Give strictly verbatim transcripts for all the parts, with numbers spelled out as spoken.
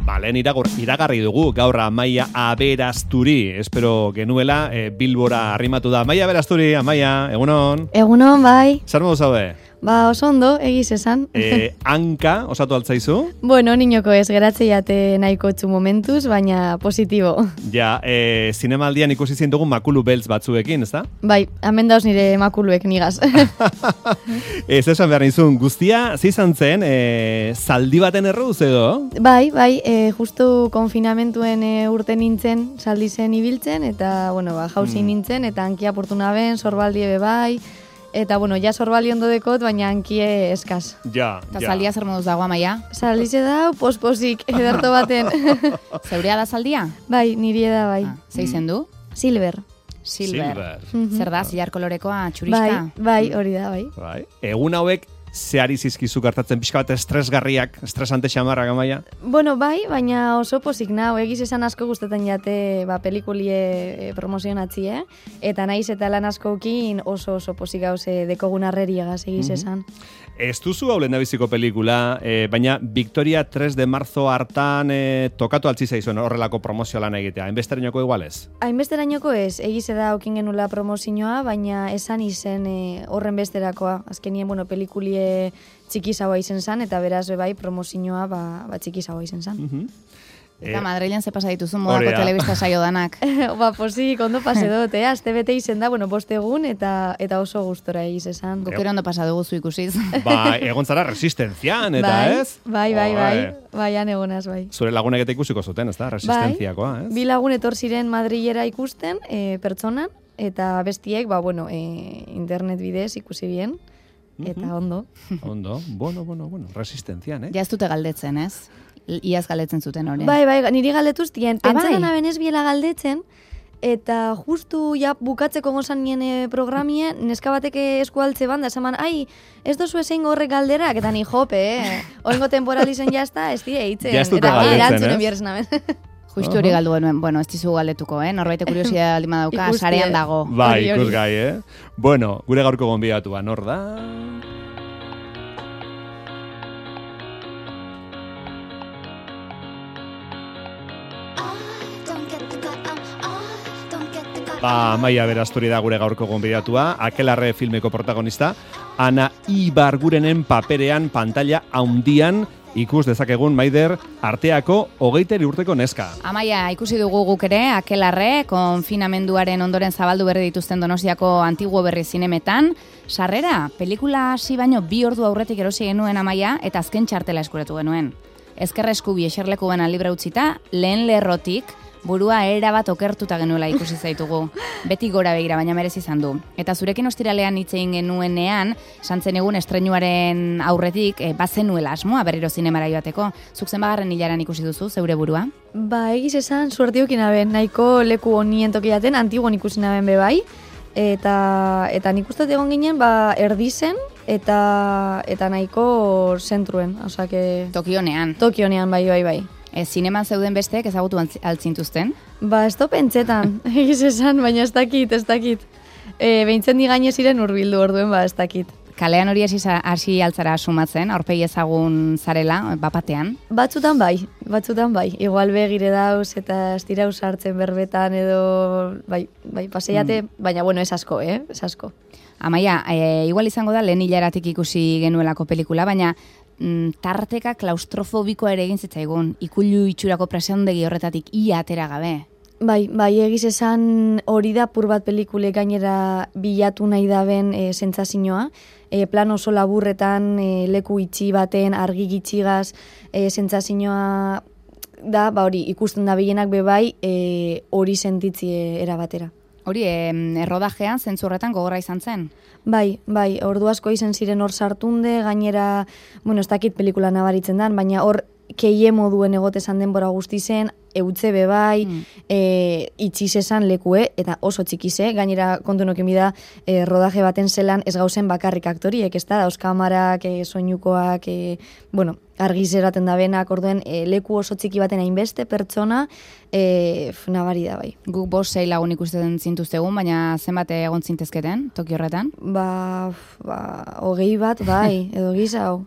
Ba, lehen iragur, iragarri dugu gaur Amaia Aberasturi. Espero genuela e, Bilbora arrimatu da. Amaia Aberasturi, Amaia, egunon? Egunon, bai. Zer modu zaude? Ba, oso ondo, egiz esan. E, hanka, osatu altzaizu? Bueno, niñoko ez, geratze jate nahiko txu momentuz, baina positibo. Ja, e, zinemaldian ikusi zintugu makulu beltz batzuekin, ezta? Bai, hemen dauz nire makuluek nigaz. Ez esan behar nizun, guztia, zizan zen, e, zaldi baten erruz edo? Bai, bai, e, justu konfinamentuen e, urte nintzen, zaldi zen ibiltzen, eta, bueno, ba, jauzi mm. nintzen, eta hankia portu naben, zorbaldie be bai, eta, bueno, ja zorbali ondo dekot, baina hankie eskaz. Ja, Eta ja. zaldia zer moduz dago, Amaia? Zaldize da, posposik, ederto baten. Zeurea da zaldia? Bai, niri da, bai. Ah, ze izen du? Silver. Silver. Silver. Zer da, zilar kolorekoa, txuriska? Bai, bai, hori da, bai. Bai. Egun hauek, zeari zizkizu gertatzen pixka bat estresgarriak, estresante xamarrak, Amaia? Bueno, bai, baina oso pozik nau, egiz esan asko gustatzen jate ba, pelikulie e, promozionatzi, eh? Eta naiz eta lan askokin oso oso pozik gauze dekogun arreriagaz egiz esan. Ez duzu hau lehendabiziko pelikula, eh, baina Victoria tres de marzo hartan eh, tokatu altzi zaizuen horrelako promozio lan egitea. Hainbesterainoko igualez? Hainbesterainoko ez, egiz da okin genula promozioa, baina esan izen e, horren besterakoa. Azkenien, bueno, pelikulie txikizagoa izen zan, eta beraz bai promozioa ba, ba txikizagoa izen zan. Uh-huh. Eta Eh, Madrilen ze pasa dituzu modako Hori da. telebista saio danak. ba, posik, ondo pase dut, eh? Aste bete izen da, bueno, bost egun, eta, eta oso gustora egiz esan. Guk ere ondo pasa dugu zu ikusiz. ba, egon zara resistentzian, eta bai, ez? Bai, bai, bai, Bai. bai, han egonaz, bai. Zure lagunek eta ikusiko zuten, ez da? Resistentziakoa, ez? Bi lagun etor ziren Madrilera ikusten, e, pertsonan, eta bestiek, ba, bueno, e, internet bidez ikusi bien, eta ondo. Ondo, bueno, bueno, bueno, resistentzian, eh? Ja ez dute galdetzen, ez? Iaz galdetzen zuten hori. Bai, bai, niri galdetuz dien, Ah, pentsatzen bai? abenez biela galdetzen, eta justu ja bukatzeko gozan nien e, programie, neska bateke eskualtze banda, esaman, ai, ez dozu ezein horrek galderak, eta ni jope, eh? Oengo temporalizen jazta, ez die eitzen. Ja ez dute eta galdetzen, erantzunen ez? bierz naben. Justu hori galdu genuen, bueno, ez dizu galdetuko, eh? Norbaite kuriosia aldima dauka, Ikustie. sarean dago. Bai, Hori, hori. ikusgai, eh? Bueno, gure gaurko gonbidatua, nor da? Ba, Amaia Aberasturi da gure gaurko gonbidatua, Akelarre filmeko protagonista, Ana Ibargurenen paperean pantalla haundian ikus dezakegun Maider arteako hogeiteri urteko neska. Amaia, ikusi dugu guk ere, Akelarre, konfinamenduaren ondoren zabaldu berri dituzten Donostiako Antiguo Berri zinemetan. Sarrera, pelikula hasi baino bi ordu aurretik erosi genuen, Amaia, eta azken txartela eskuratu genuen. Ezker eskubi eserleku bena libra utzita, lehen lerrotik, burua erabat okertuta genuela ikusi zaitugu. Beti gora begira, baina merezi izan du. Eta zurekin ostiralean hitz egin genuenean, santzen egun estreinuaren aurretik, e, bazenuela asmoa berriro zinemara joateko. Zuk zenbagarren hilaran ikusi duzu, zeure burua? Ba, egiz esan, suertiokin aben, nahiko leku honien tokiaten, antiguan ikusi naben bebai, eta, eta nik uste egon ginen, ba, erdizen, eta, eta nahiko zentruen, osea, que... Tokionean. Tokionean, bai, bai, bai. E, zineman zeuden besteek ezagutu antz- altzintuzten? Ba, ez to pentsetan, egiz esan, baina ez dakit, ez dakit. E, behintzen di gaine ziren urbildu orduen, ba, ez dakit. Kalean hori hasi za- hasi altzara sumatzen, aurpegi ezagun zarela, bapatean. Batzutan bai, batzutan bai. Igual begire dauz eta ez dira sartzen berbetan edo, bai, bai, paseiate, baina bueno, ez asko, eh, ez asko. Amaia, e, igual izango da lehen hilaratik ikusi genuelako pelikula, baina mm, tarteka klaustrofobikoa ere egin zitzaigun, ikullu itxurako preseondegi horretatik ia atera gabe. Bai, bai, egiz esan hori da pur bat pelikule gainera bilatu nahi daben e, sentsazioa. E, plan oso laburretan, e, leku itxi baten, argi gitxigaz, e, sentsazioa da, ba hori, ikusten da bienak bebai, e, hori sentitzi e, erabatera. Hori, e, errodajean, zentzu horretan gogorra izan zen? Bai, bai, ordu asko izan ziren hor sartunde, gainera, bueno, ez dakit pelikula nabaritzen dan, baina hor keie moduen egotezan denbora guzti zen, eutze bebai, mm. e, itxiz esan lekue, eta oso txikize, gainera kontu nokin bida, e, rodaje baten zelan ez gauzen bakarrik aktoriek, ez da, dauz kamarak, e, soinukoak, e, bueno, argizeraten da benak, orduen e, leku oso txiki baten hainbeste pertsona, e, nabari da bai. Guk bost sei lagun ikusten zintuztegun, baina zenbat egon zintezketen, toki horretan? Ba, ba, hogei bat, bai, edo gisa hau.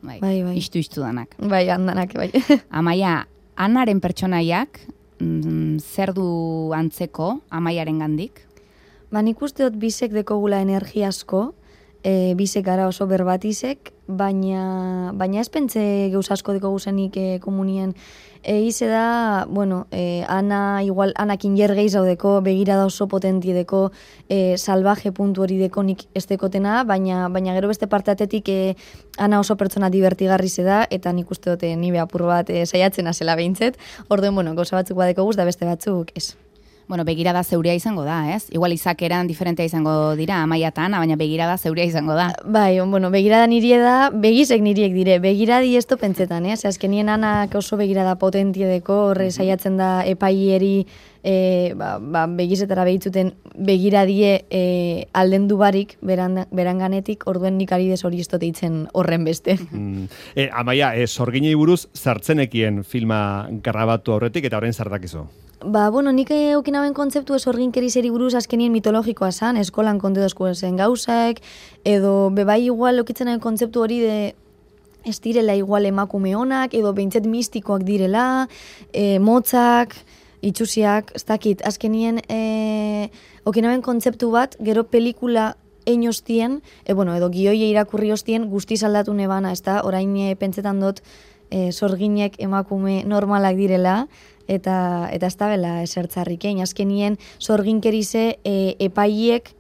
Bai, Bai, bai. Istu-istu danak. Bai, handanak, bai. Amaia, Anaren pertsonaiak, mm, zer du antzeko Amaiaren gandik? Ba, nik uste dut bisek dekogula energia asko, e, bisek gara oso berbatizek, baina, baina ez pentze geuz asko dekogu zenik e, komunien. E, ize da, bueno, e, ana, igual, anakin jergeiz haudeko, begirada oso potentie deko, e, salvaje puntu hori deko nik ez dekotena, baina, baina gero beste parteatetik e, ana oso pertsona divertigarri ze da, eta nik uste dute nibe apur bat e, saiatzen azela behintzet, orduen, bueno, gauza batzuk badeko guz, da beste batzuk ez. Bueno, begirada zeuria izango da, ez? Igual izakeran diferentea izango dira, Amaiatan, baina begirada zeuria izango da. Bai, bueno, begirada nirie da, begizek niriek dire, begiradi ez to pentsetan, eh? Azkenien anak oso begirada potentie deko, horre saiatzen da epaieri e, ba, ba, begizetara behitzuten begiradie e, aldendu barik beran, beranganetik, orduen nik ari hori ez itzen horren beste. Mm. E, Amaia, e, sorginei buruz zartzenekien filma grabatu aurretik eta orain zartakizu? Ba, bueno, nik eukinaben kontzeptu ez orginkerizeri buruz azkenien mitologikoa zan, eskolan kontedozko zen gauzak, edo bebai igual okitzen kontzeptu hori de ez direla igual emakume honak, edo behintzet mistikoak direla, e, motzak, itxusiak, ez dakit, azkenien e, okinaben kontzeptu bat, gero pelikula ein ostien, e, bueno, edo gioie irakurri ostien guztiz aldatu nebana, ez da, orain e, pentsetan dut e, sorginek emakume normalak direla, eta eta ez da bela esertzarrikein. Azkenien sorginkerize e, epaiek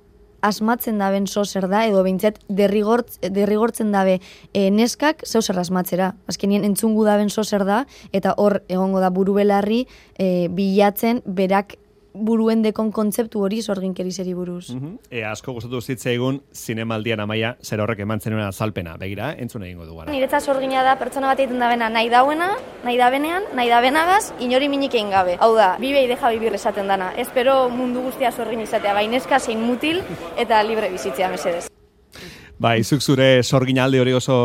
asmatzen daben zozer da, edo behintzet derrigortz, derrigortzen dabe e, neskak zeuzer asmatzera. Azkenien entzungu daben zozer da, eta hor egongo da buru belarri e, bilatzen berak buruen dekon kontzeptu hori sorginkerizeri buruz. Uh-huh. E, asko gustatu zitzaigun zinemaldian Amaia zer horrek eman zenuen azalpena. Begira, entzun egingo du gara. Niretzat sorgina da pertsona bat egiten dabena nahi dauena, nahi dabenean, nahi dabenagaz, inori minik egin gabe. Hau da, bibe deja bibir esaten dana. Espero mundu guztia sorgin izatea, baineska zein mutil eta libre bizitzea mesedez. Bai, zuk zure sorginaldi hori oso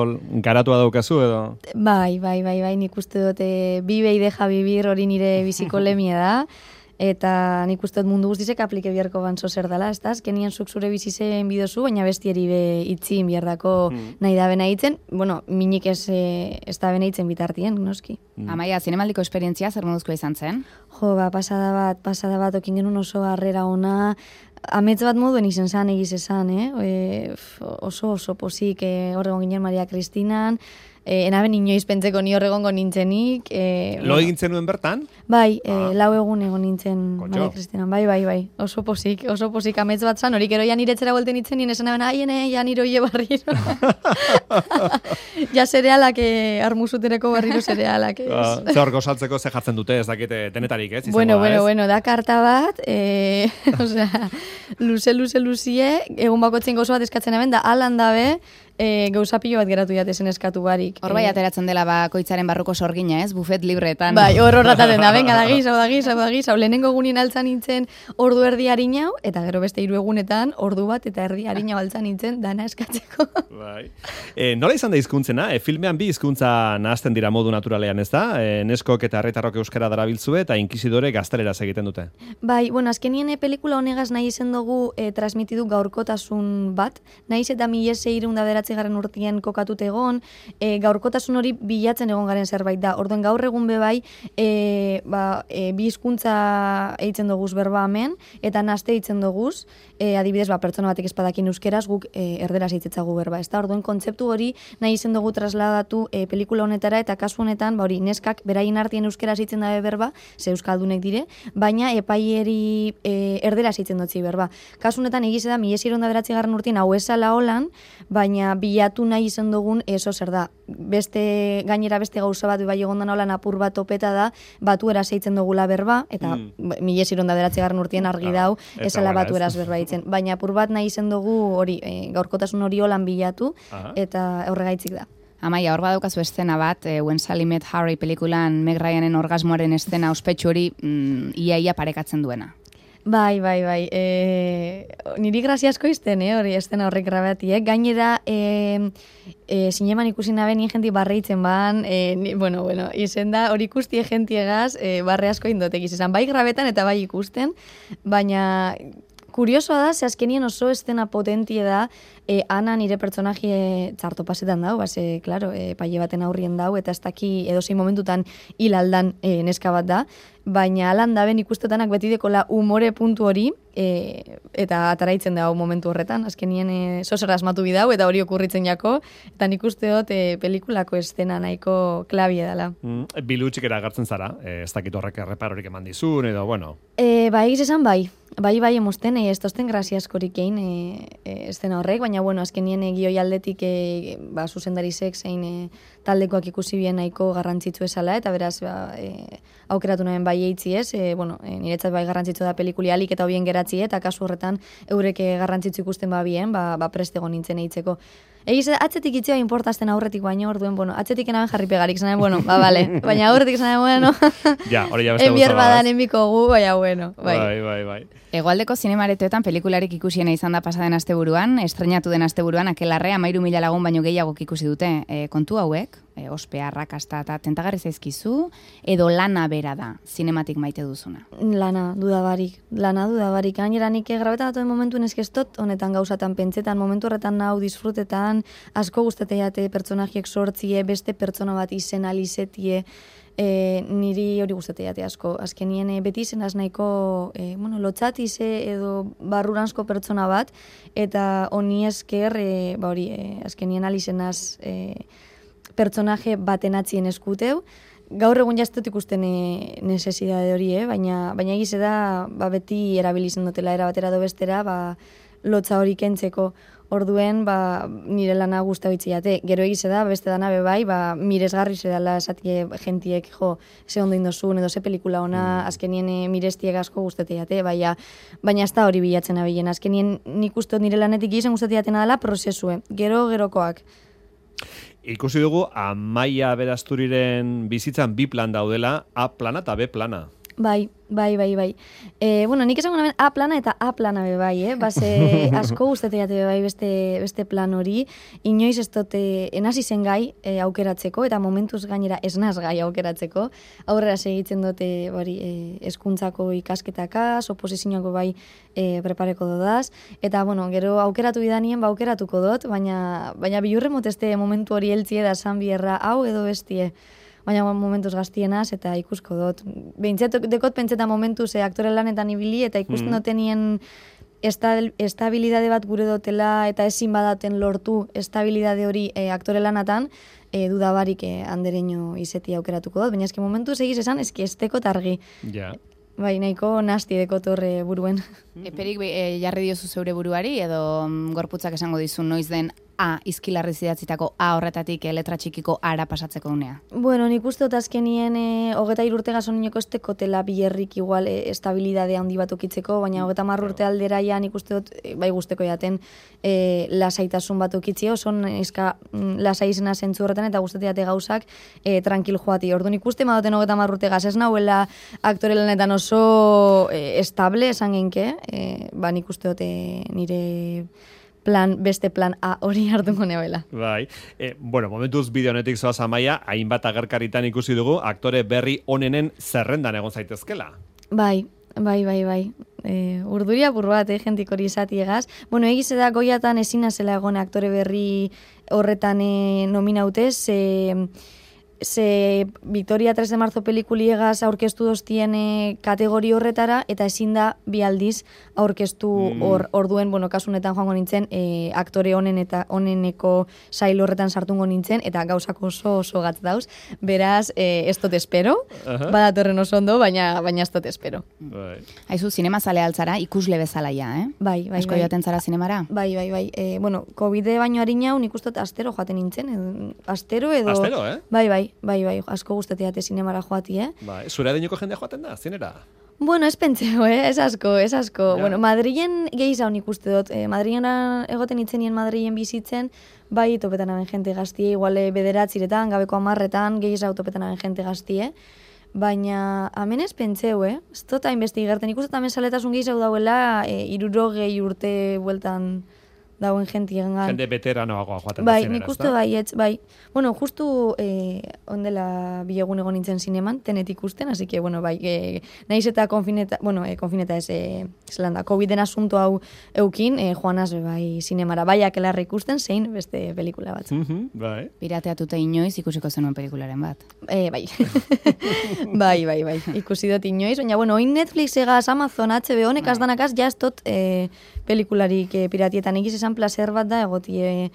garatua daukazu edo? Bai, bai, bai, bai, nik uste dute bibe deja bibir hori nire biziko lemia da. Eta nik uste dut mundu guztizek aplike biharko banzo zer dela, ez da? Azkenien zuk zure bizizen bidozu, baina bestieri be itzin biardako mm. nahi da bena itzen. Bueno, minik ez, ez da bena itzen bitartien, noski. Mm. Amaia, zinemaldiko esperientzia zer moduzkoa izan zen? Jo, ba, pasada bat, pasada bat, okin genuen oso harrera ona, amets bat moduen izen zan, egiz esan, eh? E, oso oso posik, eh, horregon ginen Maria Kristinan, E, enaben inoiz pentseko ni horregongo nintzenik. E, Lo egin zenuen bertan? Bai, e, ah. lau egun egon nintzen Maria Kristinan. Bai, bai, bai. Oso posik, oso posik amets bat zan. Horik ero ja niretzera buelten nintzen, nien esan eben, aiene, ja niro hie barriro. Ja zerealak, eh, armuzutereko barriro zerealak. Uh, ze hor gosaltzeko ze jartzen dute, ez dakite denetarik, ez? Bueno, bueno, ez? bueno, da karta bat, e, osea, luze, luze, luzie, egun bakotzen gozo bat eskatzen eben, da alan dabe, E, gauza pilo bat geratu jatezen eskatu barik. Hor bai ateratzen dela bakoitzaren barruko sorgina, ez? Bufet libretan. Bai, hor horrataten da, venga, da gizau, da gizau, da gizau. Lehenengo egunin altzan nintzen ordu erdi harinau, eta gero beste hiru egunetan ordu bat eta erdi harinau altzan nintzen dana eskatzeko. Bai. E, nola izan da hizkuntzena? E, filmean bi hizkuntza nahazten dira modu naturalean, ez da? E, neskok eta herritarrok euskara darabiltzue eta inkisidore gazteleraz egiten dute. Bai, bueno, azkenien e, pelikula honegaz nahi izen dugu e, transmitidu gaurkotasun bat, nahiz eta mila seiehun eta bederatzi garren urtien kokatute egon, e, gaurkotasun hori bilatzen egon garen zerbait da. Orduen gaur egun bebai, e, ba, e, bi hizkuntza eitzen doguz berba hemen, eta naste eitzen doguz, e, adibidez, ba, pertsona batek espadakin euskeraz, guk e, erderaz eitzetzagu berba. Ez da, orduen kontzeptu hori nahi izen dugu trasladatu e, pelikula honetara, eta kasu honetan, ba, hori, neskak beraien artien euskeraz eitzen dabe berba, ze euskaldunek dire, baina epaieri e, erderaz eitzen dutzi berba. Kasu honetan, egize da, mila seiehun eta bederatzi garren urtien hau esala holan, baina bilatu nahi izan dugun eso zer da. Beste, gainera beste gauza bat, bai egondan holan apur bat topeta da, batu eraz eitzen dugula berba, eta mm. mila seiehun eta bederatzi garren urtien argi dau, esala batu eraz berba eitzen. Baina apur bat nahi izan dugu hori, e, gaurkotasun hori holan bilatu, Aha. eta horregaitzik da. Amaia, hor badaukazu estena bat, e, When Sally Met Harry pelikulan Meg Ryanen orgasmoaren estena ospetsu hori mm, ia-ia parekatzen duena. Bai, bai, bai. E, niri graziasko izten, eh, hori estena horrek grabati, eh? Gainera, e, e, zineman ikusi nabe nien jenti barreitzen ban, e, ni, bueno, bueno, izen da, hori ikusti jentiegaz, e, barre asko indotek izan, bai grabetan eta bai ikusten, baina kuriosoa da, ze azkenien oso estena potentie da, e, Ana nire pertsonaje txarto pasetan dau, base, klaro, e, paile baten aurrien dau, eta ez daki edozein momentutan hil aldan e, neska bat da, baina alan daben ikustetanak beti dekola umore puntu hori, e, eta ataraitzen da momentu horretan, azkenien e, zozera asmatu bidau, eta hori okurritzen jako, eta nik uste dut e, pelikulako estena nahiko klabie dela. Mm, Bilutxik eragartzen zara, e, ez dakit horrek erreparorik eman dizun, edo, bueno. E, bai, egiz esan bai, bai, bai, emosten, e, ez tozten grazia askorik egin e, e, estena horrek, baina, bueno, azkenien e, gioi aldetik e, ba, zuzendarizek zein e, taldekoak ikusi bien nahiko garrantzitsu esala, eta beraz, ba, e, aukeratu nahen bai eitzi ez, e, bueno, e, niretzat bai garrantzitsu da pelikuli alik eta hobien geratzi, eta kasu horretan eurek garrantzitsu ikusten ba bien, ba, ba prestego nintzen eitzeko. Egiz, atzetik itzea importazten aurretik baino, orduen, bueno, atzetik enaben jarri pegarik, zanen, bueno, ba, bale, baina aurretik zanen, bueno, ja, hori ja beste enbier badan enbiko gu, baina, bueno, bai. Bai, bai, bai. Hegoaldeko zinemaretoetan pelikularik ikusiena izan da pasaden asteburuan, estrenatu den asteburuan, Akelarre hamairu mila lagun baino gehiago ikusi dute. E, kontu hauek, e, ospea, arrakasta eta tentagarri zaizkizu, edo lana bera da, zinematik maite duzuna? Lana, dudabarik, lana dudabarik. Gainera nik grabeta datuen momentuen eskeztot, honetan gauzatan pentsetan, momentu horretan nau disfrutetan, asko guzteteiate pertsonajiek sortzie, beste pertsona bat izen alizetie, E, niri hori guzteteiate asko. Azkenien e, beti izenaz nahiko e, bueno, lotxatize edo barruranzko pertsona bat, eta honi esker, e, ba hori, e, azkenien alizenaz e, pertsonaje baten atzien eskuteu. Gaur egun jaztot ikusten e, nesesidade hori, eh? baina, baina egize da ba, beti erabilizen dutela era batera do bestera, ba, lotza hori kentzeko. Orduen, ba, nire lana guztabitziate. Gero egize da, beste dana bebai, ba, miresgarri zedala esatie jentiek, jo, ze ondo indozun, edo ze pelikula ona, mm. azkenien e, mirestiek asko guzteteiate, baina, baina ez da hori bilatzen abilen. Azkenien nik uste nire lanetik izen guzteteiatena dela prozesue, gero gerokoak. Ikusi dugu, Amaia Berasturiren bizitzan bi plan daudela, A plana eta B plana. Bai, bai, bai, bai. E, bueno, nik esango naben A plana eta A plana be bai, eh? Base asko guzteteiate be bai beste, beste plan hori. Inoiz ez dote enasi zen gai e, aukeratzeko, eta momentuz gainera esnaz gai aukeratzeko. Aurrera segitzen dute bari, e, eskuntzako ikasketakaz, oposizioako bai e, prepareko dodaz. Eta, bueno, gero aukeratu bidanien, ba aukeratuko dut, baina, baina bilurre moteste momentu hori heltzie da san bierra hau edo bestie. Baina momentuz gaztienaz, eta ikusko dut. Behintzat, dekot pentseta momentuz e, aktore lanetan ibili, eta ikusten mm. dotenien estabilidade bat gure dotela, eta ezin badaten lortu estabilidade hori e, aktore lanatan, e, dudabarik e, andereño izeti aukeratuko dut. Baina eski momentuz egiz esan, eski ez dekot argi. Ja. Bai, nahiko nasti dekot horre buruen. Eperik e, jarri diozu zeure buruari, edo mm, gorputzak esango dizu noiz den A, izkilarri zidatzitako A horretatik e, letra txikiko ara pasatzeko unea? Bueno, nik uste dut azkenien e, hogeta irurte gazonineko ez tekotela bilerrik igual e, estabilidade handi bat okitzeko, baina hogeta marrurte aldera ja nik uste dut e, bai guzteko jaten e, lasaitasun bat okitzi, oso izka lasai izena zentzu horretan, eta guzteteate gauzak e, tranquil joati. Orduan ikuste madoten hogeta marrurte gaz, ez nahuela aktore lanetan oso e, estable, esan genke, e, ba nik uste dut e, nire plan, beste plan A hori hartuko neoela. Bai. E, bueno, momentuz bideo honetik zoaz Amaia, hainbat agerkaritan ikusi dugu, aktore berri onenen zerrendan egon zaitezkela. Bai, bai, bai, bai. E, urduria bur bat, eh, jentik hori esati egaz. Bueno, egize da goiatan ezina zela egon aktore berri horretan e, nominautez, ze... ze Victoria tres de marzo pelikuliegaz aurkeztu doztien e, kategori horretara, eta ezin da bi aldiz aurkeztu hor, mm. orduen, bueno, kasunetan joango nintzen, e, aktore honen eta honeneko sail horretan sartungo nintzen, eta gauzak oso oso gatz dauz. Beraz, e, ez dut espero, uh-huh. badatorren oso ondo, baina, baina ez dut espero. Bai. Haizu, zinema zale altzara, ikusle bezala ja, eh? Bai, bai, Asko bai. joaten zara zinemara? Bai, bai, bai. E, bueno, COVID baino harinau, nik uste dut astero joaten nintzen, edo, astero edo... Astero, eh? Bai, bai. Bai, bai, asko gustateate zinemara joati, eh? Bai, zure adinoko jendea joaten da, zinera? Bueno, ez pentseo, eh? Ez asko, ez asko. Ja. Bueno, Madrilen gehi zaun ikuste dut. Eh, Madrilen egoten itzenien Madrilen bizitzen, bai, topetan aben jente gaztie, igual bederatziretan, gabeko amarretan, gehi zau topetan aben jente gaztie. Baina, hemen ez pentseu, eh? Ez dut hainbeste igerten. Ikusten hemen saletasun gehi zau dauela, e, irurogei urte bueltan dauen jentiengan. Jende veteranoagoa joaten Bai, da zinera, nik uste bai, etz, bai. Bueno, justu eh, ondela bilegun egon nintzen zineman, tenet ikusten, así que, bueno, bai, eh, nahiz eta konfineta, bueno, eh, konfineta ez, eh, zelan da, COVID-en asunto hau eukin, eh, joanaz, bai, zinemara, bai, akelarra ikusten, zein beste pelikula batzu. Mm-hmm, bai. Pirateatuta inoiz ikusiko zenuen pelikularen bat. Eh, bai. bai, bai, bai, ikusi dut inoiz, baina, bueno, oin Netflix egaz, Amazon, H B O, nekaz Bai. danakaz, jaztot eh, pelikularik eh, piratietan egiz esan placer bat da, egotie,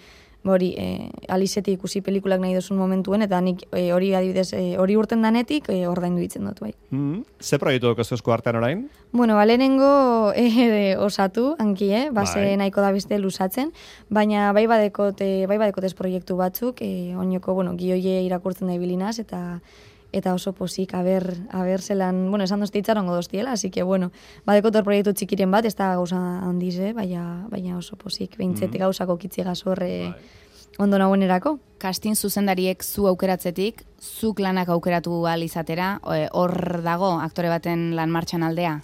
hori, eh, alizeti ikusi pelikulak nahi dozun momentuen, eta nik eh, hori adibidez, eh, hori urten danetik, eh, ordaindu ditzen dut, bai. Mm-hmm. Ze proiektu dugu esku artean orain? Bueno, ba, lehenengo eh, osatu, hanki, eh? Base Bai. nahiko da beste lusatzen, baina bai badekot, eh, bai badekotez proiektu batzuk, eh, oinoko, bueno, gioie irakurtzen da ibilinaz, eta eta oso pozik, aber, aber zelan, bueno, esan dozti itxarongo doztiela, así que, bueno, badekotor proiektu txikiren bat, ez da gauza handiz, eh? baina, baina oso pozik, behintzet Mhm. gauzako kitzigaz horre Bai. ondo nagoenerako. Kastin zuzendariek zu aukeratzetik, zuk lanak aukeratu ahal izatera, e, hor dago aktore baten lan martxan aldea?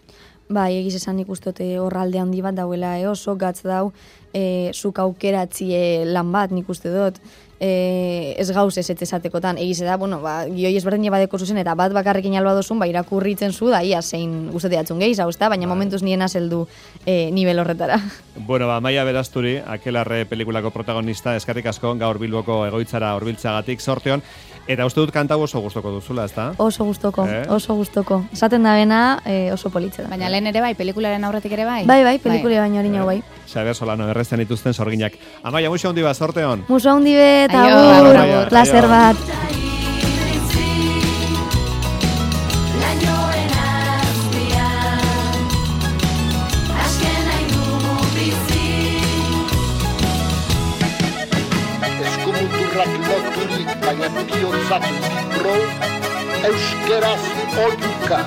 Bai, egiz esan ikustote hor alde handi bat dauela, eh? Oso gatz dau, eh, zuk aukeratzie lan bat, nik uste dut, eh, ez gauz ez etezatekotan, egiz da, bueno, ba, gioi ezberdin badeko zuzen, eta bat bakarrekin alba dozun, ba, irakurritzen zu, da, ia, zein guzteteatzun gehiz, hau, ezta? Baina momentuz nien azeldu eh, nivel horretara. Bueno, ba, Maia Berasturi, Akelarre pelikulako protagonista, eskerrik asko gaur Bilboko egoitzara hurbiltzagatik sorteon, eta uste dut kantau oso gustoko duzula, ezta? Oso gustoko, Eh? oso gustoko. Esaten da bena, eh, oso politze da. Baina lehen ere bai, pelikularen aurretik ere bai? Bai, bai, pelikule baino hori nio, bai. Xabier Solano, errezen dituzten sorginak. Amaia, muixo handi bat, sorteon. Muso handi bet, Aio, agur, agur, agur. placer Aio. bat. Eskumuturrak loturik, baina biotzak libro, euskeraz oiuka.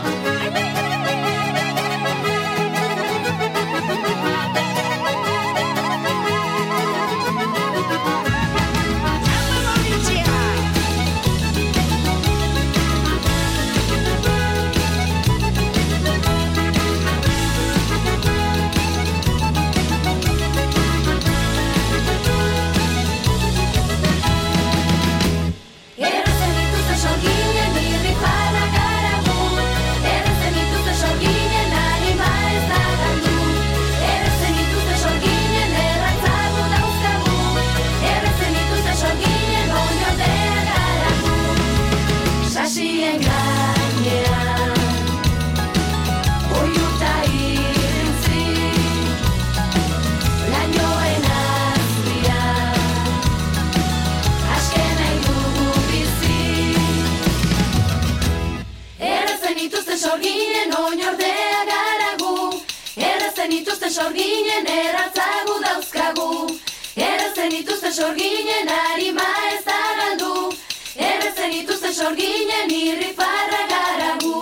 Errezen dituzte sorginen irri fara garagu, errezen dituzte sorginen anima ez da galdu, errezen dituzte sorginen erratzago dauzkagu, errezen dituzte sorginen oinordea garagu, sasien gainean, oiuta irrintzi, lainoen azpian, azken nahi dugu bizi. Errezen ituzten sorginen oinordea garagu, errezen ituzten sorginen erratzagu dauzkagu, errezen ituzten sorginen arima ez da galdu, errezen ituzten sorginen irri farra garagu.